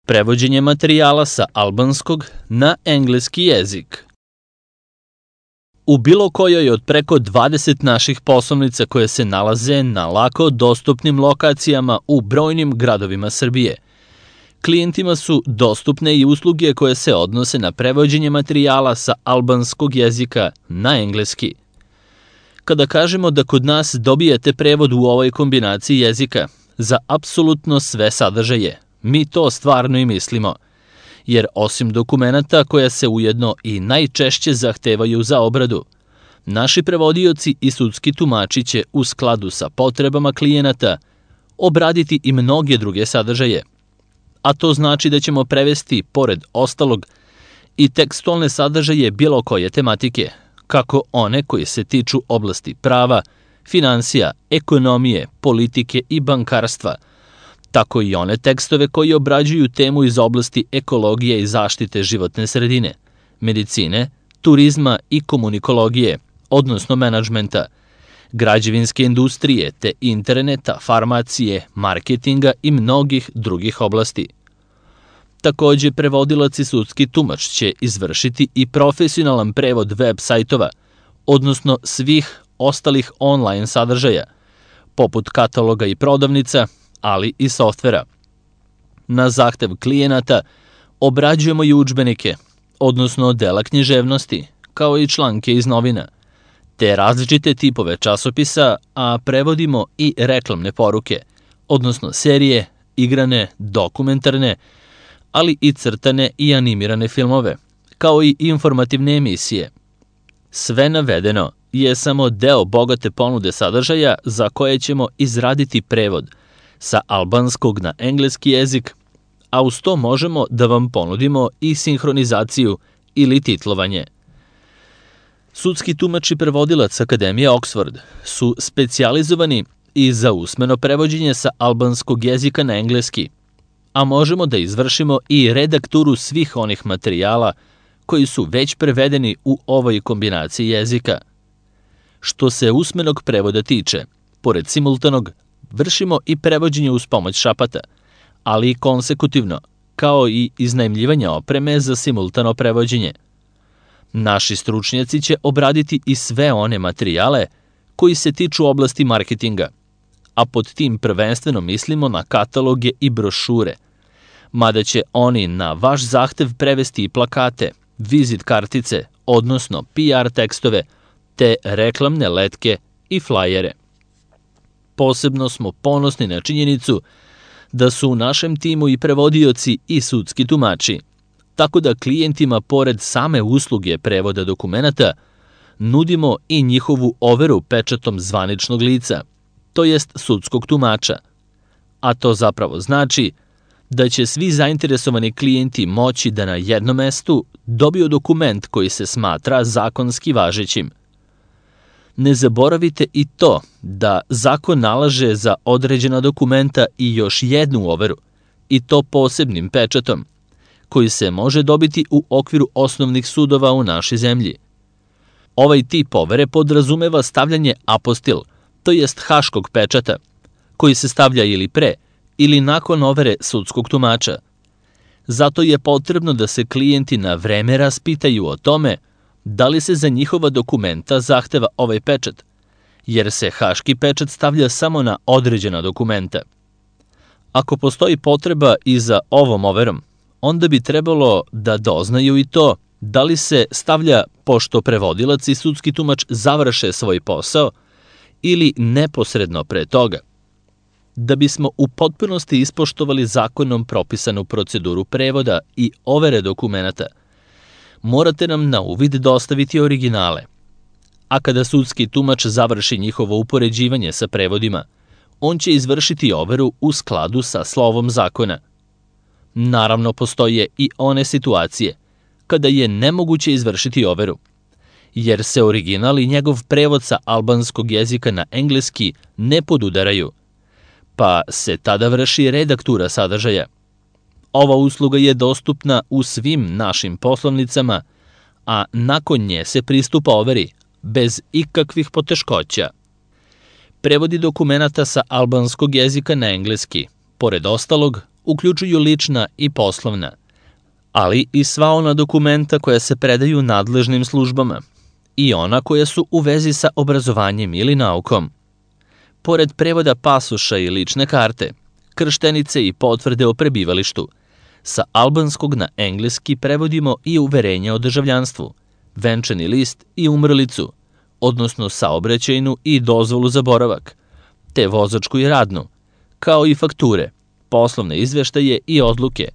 Prevođenje materijala sa albanskog na engleski jezik. U bilo kojoj od preko 20 naših poslovnica koje se nalaze na lako dostupnim lokacijama u brojnim gradovima Srbije, klijentima su dostupne i usluge koje se odnose na prevođenje materijala sa albanskog jezika na engleski. Kada kažemo da kod nas dobijete prevod u ovoj kombinaciji jezika za apsolutno sve sadržaje, mi to stvarno i mislimo, jer osim dokumenata koja se ujedno i najčešće zahtevaju za obradu, naši prevodioci i sudski tumači će u skladu sa potrebama klijenata obraditi i mnoge druge sadržaje, a to znači da ćemo prevesti, pored ostalog, i tekstualne sadržaje bilo koje tematike, kako one koji se tiču oblasti prava, finansija, ekonomije, politike i bankarstva, tako i one tekstove koji obrađuju temu iz oblasti ekologije i zaštite životne sredine, medicine, turizma i komunikologije, odnosno menadžmenta, građevinske industrije te interneta, farmacije, marketinga i mnogih drugih oblasti. Takođe, prevodilac i sudski tumač će izvršiti i profesionalan prevod web sajtova, odnosno svih ostalih online sadržaja, poput kataloga i prodavnica, ali i softvera. Na zahtev klijenata obrađujemo i udžbenike, odnosno dela književnosti, kao i članke iz novina, te različite tipove časopisa, a prevodimo i reklamne poruke, odnosno serije, igrane, dokumentarne, ali i crtane i animirane filmove, kao i informativne emisije. Sve navedeno je samo deo bogate ponude sadržaja za koje ćemo izraditi prevod sa albanskog na engleski jezik, a uz to možemo da vam ponudimo i sinhronizaciju ili titlovanje. Sudski tumač i prevodilac Akademije Oxford su specijalizovani i za usmeno prevođenje sa albanskog jezika na engleski, a možemo da izvršimo i redakturu svih onih materijala koji su već prevedeni u ovoj kombinaciji jezika. Što se usmenog prevoda tiče, pored simultanog, vršimo i prevođenje uz pomoć šapata, ali i konsekutivno, kao i iznajmljivanje opreme za simultano prevođenje. Naši stručnjaci će obraditi i sve one materijale koji se tiču oblasti marketinga, a pod tim prvenstveno mislimo na kataloge i brošure, mada će oni na vaš zahtev prevesti i plakate, vizit kartice, odnosno PR tekstove, te reklamne letke i flajere. Posebno smo ponosni na činjenicu da su u našem timu i prevodioci i sudski tumači, tako da klijentima pored same usluge prevoda dokumenata nudimo i njihovu overu pečatom zvaničnog lica, to jest sudskog tumača, a to zapravo znači da će svi zainteresovani klijenti moći da na jednom mestu dobiju dokument koji se smatra zakonski važećim. Ne zaboravite i to da zakon nalaže za određena dokumenta i još jednu overu, i to posebnim pečatom, koji se može dobiti u okviru osnovnih sudova u našoj zemlji. Ovaj tip overe podrazumeva stavljanje apostil, to jest haškog pečata, koji se stavlja ili pre ili nakon overe sudskog tumača. Zato je potrebno da se klijenti na vreme raspitaju o tome da li se za njihova dokumenta zahteva ovaj pečat, jer se haški pečat stavlja samo na određena dokumenta. Ako postoji potreba i za ovom overom, onda bi trebalo da doznaju i to da li se stavlja pošto prevodilac i sudski tumač završe svoj posao ili neposredno pre toga. Da bismo u potpunosti ispoštovali zakonom propisanu proceduru prevoda i overe dokumenata, morate nam na uvid dostaviti originale. A kada sudski tumač završi njihovo upoređivanje sa prevodima, on će izvršiti overu u skladu sa slovom zakona. Naravno, postoje i one situacije kada je nemoguće izvršiti overu, jer se original i njegov prevod sa albanskog jezika na engleski ne podudaraju, pa se tada vrši redaktura sadržaja. Ova usluga je dostupna u svim našim poslovnicama, a nakon nje se pristupa overi bez ikakvih poteškoća. Prevodi dokumenata sa albanskog jezika na engleski, pored ostalog, uključuju lična i poslovna, ali i sva ona dokumenta koja se predaju nadležnim službama i ona koja su u vezi sa obrazovanjem ili naukom. Pored prevoda pasoša i lične karte, krštenice i potvrde o prebivalištu, sa albanskog na engleski prevodimo i uverenja o državljanstvu, venčani list i umrlicu, odnosno saobraćajnu i dozvolu za boravak, te vozačku i radnu, kao i fakture, poslovne izveštaje i odluke,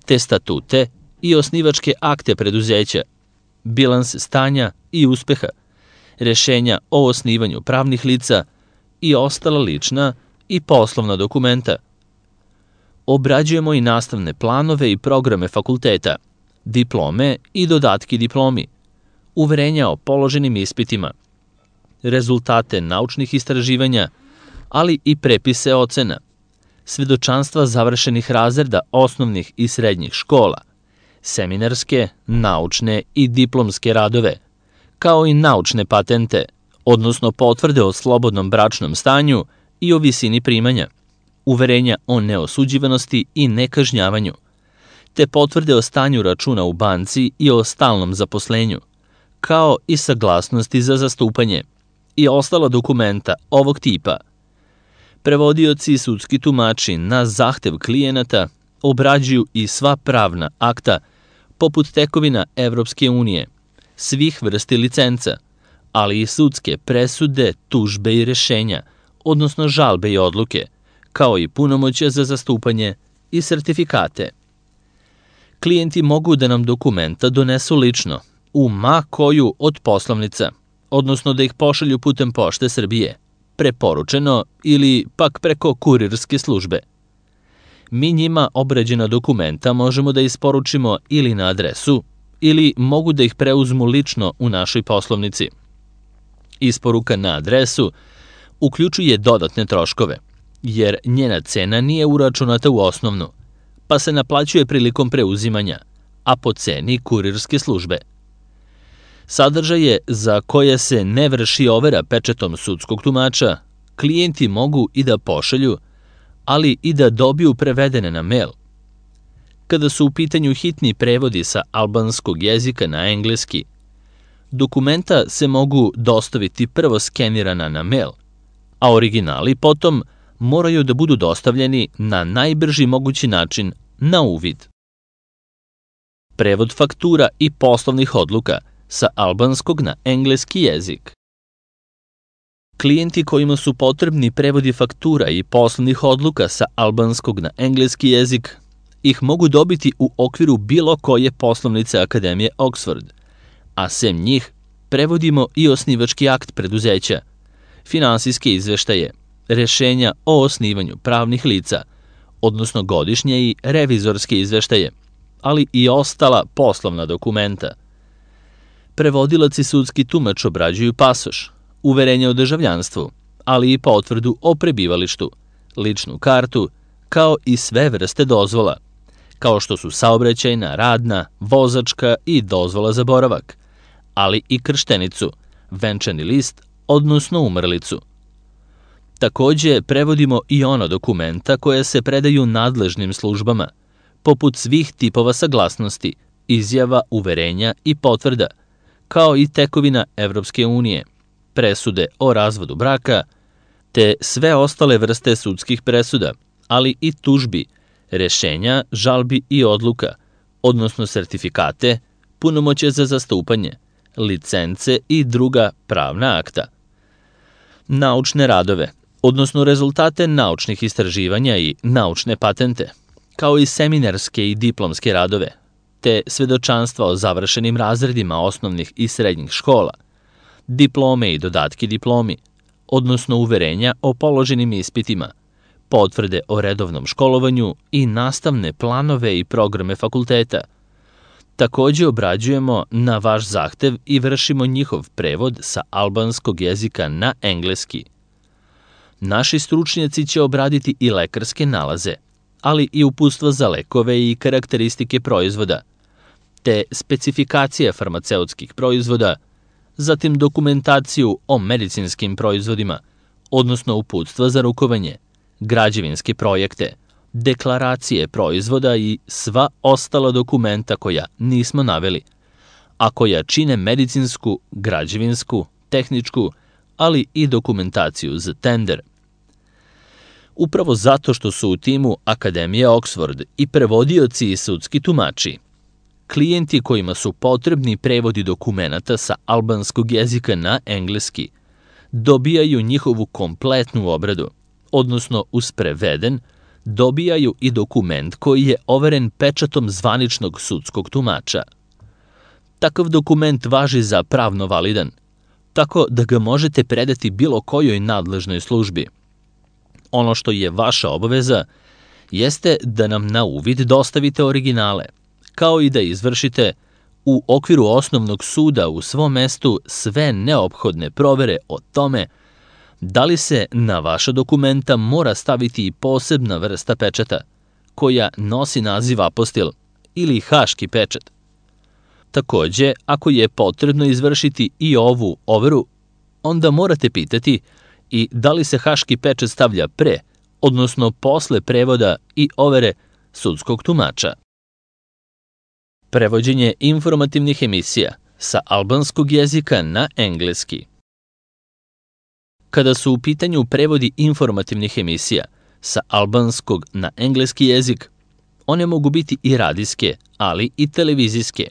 te statute i osnivačke akte preduzeća, bilanse stanja i uspeha, rešenja o osnivanju pravnih lica i ostala lična i poslovna dokumenta. Obrađujemo i nastavne planove i programe fakulteta, diplome i dodatki diplomi, uverenja o položenim ispitima, rezultate naučnih istraživanja, ali i prepise ocena, svedočanstva završenih razreda osnovnih i srednjih škola, seminarske, naučne i diplomske radove, kao i naučne patente, odnosno potvrde o slobodnom bračnom stanju i o visini primanja, uverenja o neosuđivanosti i nekažnjavanju, te potvrde o stanju računa u banci i o stalnom zaposlenju, kao i saglasnosti za zastupanje i ostala dokumenta ovog tipa. Prevodioci i sudski tumači na zahtev klijenata obrađuju i sva pravna akta, poput tekovina Evropske unije, svih vrsti licenca, ali i sudske presude, tužbe i rešenja, odnosno žalbe i odluke, kao i punomoćja za zastupanje i sertifikate. Klijenti mogu da nam dokumenta donesu lično, u ma koju od poslovnica, odnosno da ih pošalju putem Pošte Srbije, preporučeno ili pak preko kurirske službe. Mi njima obrađena dokumenta možemo da isporučimo ili na adresu, ili mogu da ih preuzmu lično u našoj poslovnici. Isporuka na adresu uključuje dodatne troškove, jer njena cena nije uračunata u osnovnu, pa se naplaćuje prilikom preuzimanja, a po ceni kurirske službe. Sadržaje za koje se ne vrši overa pečatom sudskog tumača, klijenti mogu i da pošalju, ali i da dobiju prevedene na mail. Kada su u pitanju hitni prevodi sa albanskog jezika na engleski, dokumenta se mogu dostaviti prvo skenirana na mail, a originali potom moraju da budu dostavljeni na najbrži mogući način na uvid. Prevod faktura i poslovnih odluka sa albanskog na engleski jezik. Klijenti kojima su potrebni prevodi faktura i poslovnih odluka sa albanskog na engleski jezik ih mogu dobiti u okviru bilo koje poslovnice Akademije Oxford, a sem njih prevodimo i osnivački akt preduzeća, finansijske izveštaje, rešenja o osnivanju pravnih lica, odnosno godišnje i revizorske izveštaje, ali i ostala poslovna dokumenta. Prevodilac i sudski tumač obrađuju pasoš, uverenje o državljanstvu, ali i potvrdu o prebivalištu, ličnu kartu, kao i sve vrste dozvola, kao što su saobraćajna, radna, vozačka i dozvola za boravak, ali i krštenicu, venčani list, odnosno umrlicu. Takođe, prevodimo i ona dokumenta koja se predaju nadležnim službama, poput svih tipova saglasnosti, izjava, uverenja i potvrda, kao i tekovina Evropske unije, presude o razvodu braka, te sve ostale vrste sudskih presuda, ali i tužbi, rešenja, žalbi i odluka, odnosno sertifikate, punomoćje za zastupanje, licence i druga pravna akta. Naučne radove, odnosno rezultate naučnih istraživanja i naučne patente, kao i seminarske i diplomske radove, te svedočanstva o završenim razredima osnovnih i srednjih škola, diplome i dodatki diplomi, odnosno uverenja o položenim ispitima, potvrde o redovnom školovanju i nastavne planove i programe fakulteta. Takođe obrađujemo na vaš zahtev i vršimo njihov prevod sa albanskog jezika na engleski. Naši stručnjaci će obraditi i lekarske nalaze, ali i uputstva za lekove i karakteristike proizvoda, te specifikacije farmaceutskih proizvoda, zatim dokumentaciju o medicinskim proizvodima, odnosno uputstva za rukovanje, građevinske projekte, deklaracije proizvoda i sva ostala dokumenta koja nismo naveli, a koja čine medicinsku, građevinsku, tehničku, ali i dokumentaciju za tender. Upravo zato što su u timu Akademije Oxford i prevodioci i sudski tumači, klijenti kojima su potrebni prevodi dokumenata sa albanskog jezika na engleski dobijaju njihovu kompletnu obradu, odnosno uz preveden dobijaju i dokument koji je overen pečatom zvaničnog sudskog tumača. Takav dokument važi za pravno validan, tako da ga možete predati bilo kojoj nadležnoj službi. Ono što je vaša obaveza jeste da nam na uvid dostavite originale, kao i da izvršite u okviru osnovnog suda u svom mestu sve neophodne provere o tome da li se na vaša dokumenta mora staviti i posebna vrsta pečata, koja nosi naziv apostil ili haški pečat. Takođe, ako je potrebno izvršiti i ovu overu, onda morate pitati i da li se haški pečat stavlja pre, odnosno posle prevoda i overe sudskog tumača. Prevođenje informativnih emisija sa albanskog jezika na engleski. Kada su u pitanju prevodi informativnih emisija sa albanskog na engleski jezik, one mogu biti i radijske, ali i televizijske,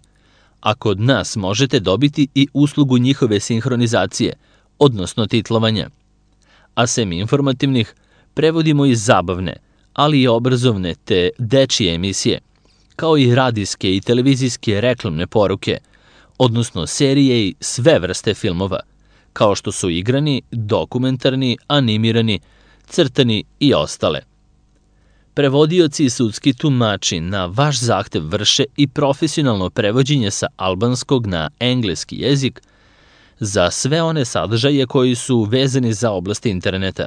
a kod nas možete dobiti i uslugu njihove sinhronizacije, odnosno titlovanja. A sem informativnih, prevodimo i zabavne, ali i obrazovne te dečije emisije, kao i radijske i televizijske reklamne poruke, odnosno serije i sve vrste filmova, kao što su igrani, dokumentarni, animirani, crtani i ostale. Prevodioci i sudski tumači na vaš zahtev vrše i profesionalno prevođenje sa albanskog na engleski jezik za sve one sadržaje koji su vezani za oblast interneta,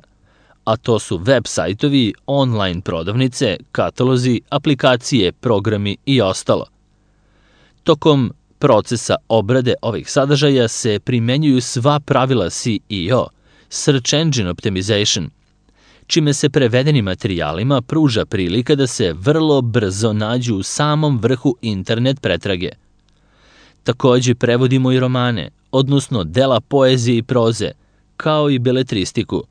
a to su web sajtovi, online prodavnice, katalozi, aplikacije, programi i ostalo. Tokom procesa obrade ovih sadržaja se primenjuju sva pravila SEO, Search Engine Optimization, čime se prevedenim materijalima pruža prilika da se vrlo brzo nađu u samom vrhu internet pretrage. Takođe prevodimo i romane, odnosno dela poezije i proze, kao i beletristiku,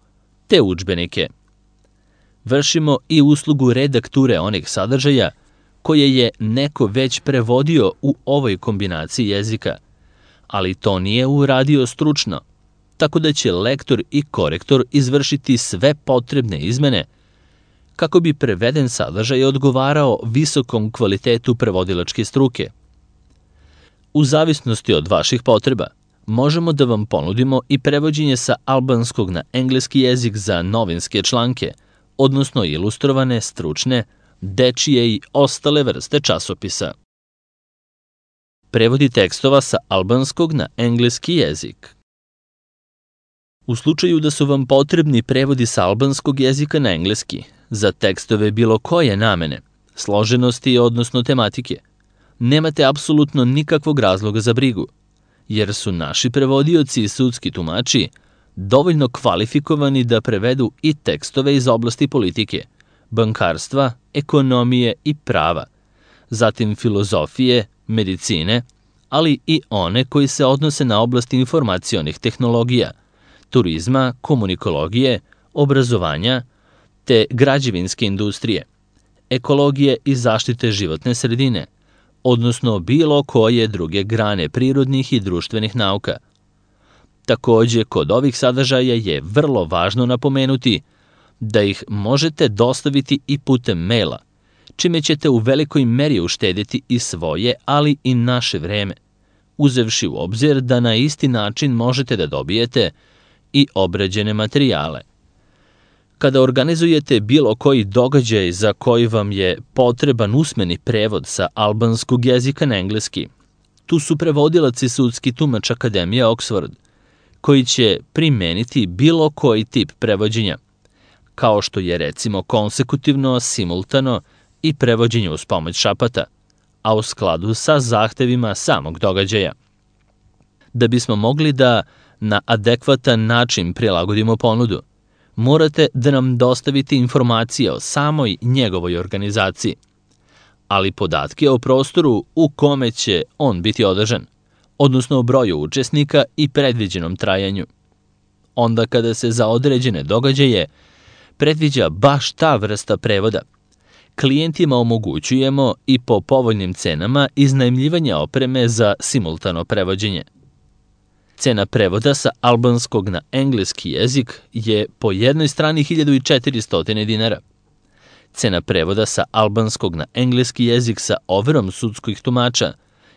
te udžbenike. Vršimo i uslugu redakture onih sadržaja koje je neko već prevodio u ovoj kombinaciji jezika, ali to nije uradio stručno, tako da će lektor i korektor izvršiti sve potrebne izmene kako bi preveden sadržaj odgovarao visokom kvalitetu prevodilačke struke. U zavisnosti od vaših potreba, možemo da vam ponudimo i prevođenje sa albanskog na engleski jezik za novinske članke, odnosno ilustrovane, stručne, dečije i ostale vrste časopisa. Prevodi tekstova sa albanskog na engleski jezik. U slučaju da su vam potrebni prevodi sa albanskog jezika na engleski za tekstove bilo koje namene, složenosti odnosno tematike, nemate apsolutno nikakvog razloga za brigu, jer su naši prevodioci i sudski tumači dovoljno kvalifikovani da prevedu i tekstove iz oblasti politike, bankarstva, ekonomije i prava, zatim filozofije, medicine, ali i one koji se odnose na oblast informacionih tehnologija, turizma, komunikologije, obrazovanja, te građevinske industrije, ekologije i zaštite životne sredine, odnosno bilo koje druge grane prirodnih i društvenih nauka. Takođe, kod ovih sadržaja je vrlo važno napomenuti da ih možete dostaviti i putem maila, čime ćete u velikoj meri uštediti i svoje, ali i naše vreme, uzevši u obzir da na isti način možete da dobijete i obrađene materijale. Kada organizujete bilo koji događaj za koji vam je potreban usmeni prevod sa albanskog jezika na engleski, tu su prevodilac i sudski tumač Akademije Oxford, koji će primeniti bilo koji tip prevođenja, kao što je recimo konsekutivno, simultano i prevođenje uz pomoć šapata, a u skladu sa zahtevima samog događaja. Da bismo mogli da na adekvatan način prilagodimo ponudu, morate da nam dostavite informacije o samoj njegovoj organizaciji, ali podatke o prostoru u kome će on biti održan, odnosno o broju učesnika i predviđenom trajanju. Onda kada se za određene događaje predviđa baš ta vrsta prevoda, klijentima omogućujemo i po povoljnim cenama iznajmljivanje opreme za simultano prevođenje. Cena prevoda sa albanskog na engleski jezik je po jednoj strani 1400 dinara. Cena prevoda sa albanskog na engleski jezik sa overom sudskih tumača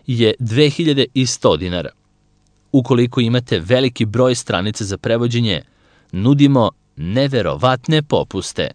je 2100 dinara. Ukoliko imate veliki broj stranica za prevođenje, nudimo neverovatne popuste.